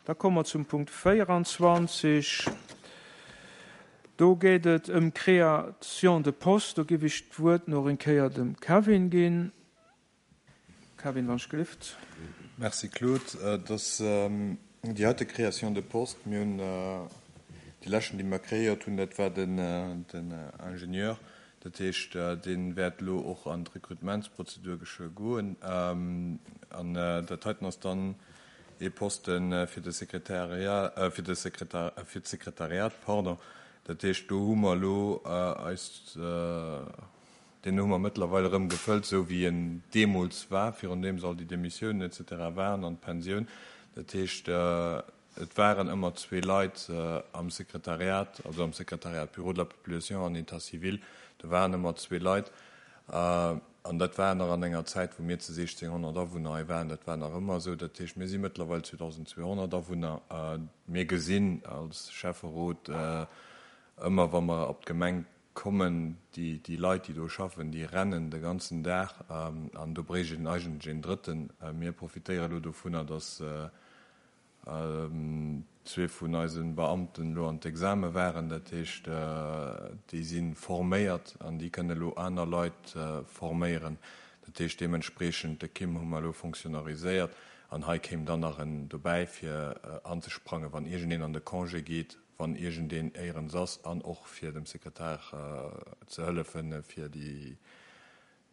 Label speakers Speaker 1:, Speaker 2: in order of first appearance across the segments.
Speaker 1: Da komme mer zum Punkt 24. Do geet et ëm d'Création de postes. Do géif ech d'Wuert nach eng Kéier dem Kevin ginn. Kevin, wann ech gelift.
Speaker 2: Merci Claude. Et ass déi heite Création de poste. Mir hunn déi leschten, déi mer kreéiert hunn, dat war den Ingenieur. Dat heescht, dee wäert elo och an d'Rekrutementsprozedur geschwë goen. An dat heiten ass dann ee Poste fir de Sekretariat, fir de Sekretar, fir d'Sekretariat, pardon. Dat heescht, do hu mer elo eis, deen hu mer mëttlerweil erëm gefëllt, esou wéi en deemools war, virun deem all déi Demissiounen et cetera waren an d'Pensioun. Dat heescht, et waren ëmmer zwee Leit am Sekretariat, also am Sekretariat Bureau de la population an État civil, do waren ëmmer zwee Leit. An dat war nach an enger Zäit, wou mir zu 1.600 Awunner hei waren. Dat war nach ëmmer esou. Dat heescht, mir si mëttlerweil 2.200 Awunner. Mir gesinn als Schäfferot ëmmer, wa mer op d'Gemeng kommen, déi Leit, déi do schaffen, déi rennen de ganzen Dag. An do bréicht een eigentlech een Drëtten. Mir profitéiere elo dovunner, datt Zwee vun eise Beamten elo an d'Exame waren, dat heescht, déi si forméiert an déi kënne elo aner Leit forméieren. Dat heescht deementspreechend, de Kim hu mer elo fonctionnariséiert an hei kéim dann nach en dobäi fir anzesprangen, wann iergendeen an de Congé geet, wann iergendeen éierens ass an och fir dem Sekretär ze hëllefen, fir déi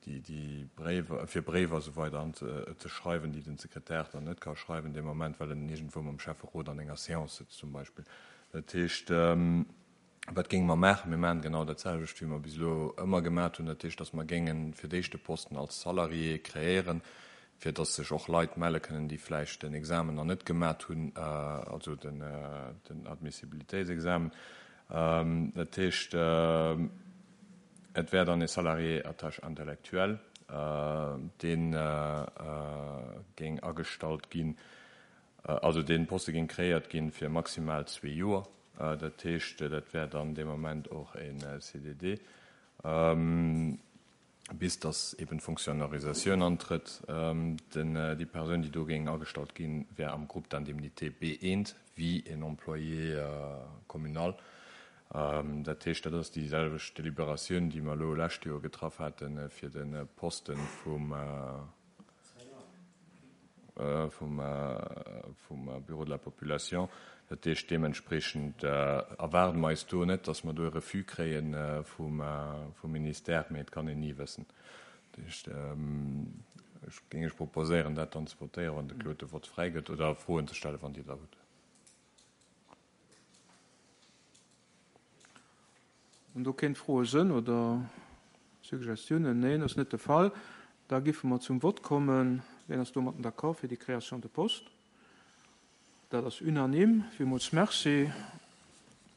Speaker 2: déi Bréiwer, fir Bréiwer a sou weider an ze schreiwen, déi den Sekretär dann net ka schreiwen dee Moment, well en iergendwou mam Schäfferot an enger Séance sëtzt zum Beispill. Dat heescht, wat géinge mer maachen? Mir maachen genau dat selwecht, wéi mer bis elo ëmmer gemat hunn. Dat heescht, datt mer géinge fir d'éischt de Posten als Salarié kreéieren, fir datt sech och Leit melle kënnen, déi vläicht den Examen nach net gemat hunn, also den Admissibilitéitsexamen. Dat heescht, Et wär dann e Salarié à tâche intellectuelle, dee géing agestallt ginn, also dee Poste géing kreéiert ginn fir maximal zwee Joer. Dat heescht, dat wär dann dee Moment och e CDD, bis datt eben d'Fonctionnarisatioun antrëtt. Déi Persoun, déi do géing agestallt ginn, wär am Groupe d'indemnité B1 wéi en Employé communal. Dat heescht, dat ass déi selwecht Deliberatioun, déi mer elo lescht Joer getraff hate fir de Poste vum Bureau de la population. Dat heescht, deementspreechend erwaarde mer eis do net, datt mer do e Refus kréie vum Ministère, mee et kann een ni wëssen. Dat heescht, ech géing Iech proposéieren, dat dann ze votéieren, wann de Claude de Vott fräigëtt, oder Froen ze stellen, wann Dir der hutt.
Speaker 1: Wann do kéint Froe sënn oder Suggestiounen? Neen, ass net de Fall. Da giffe mer zum Vott kommen. Wien ass domatten d'accord fir déi Création de poste? Dat ass unanime. Villmools Merci.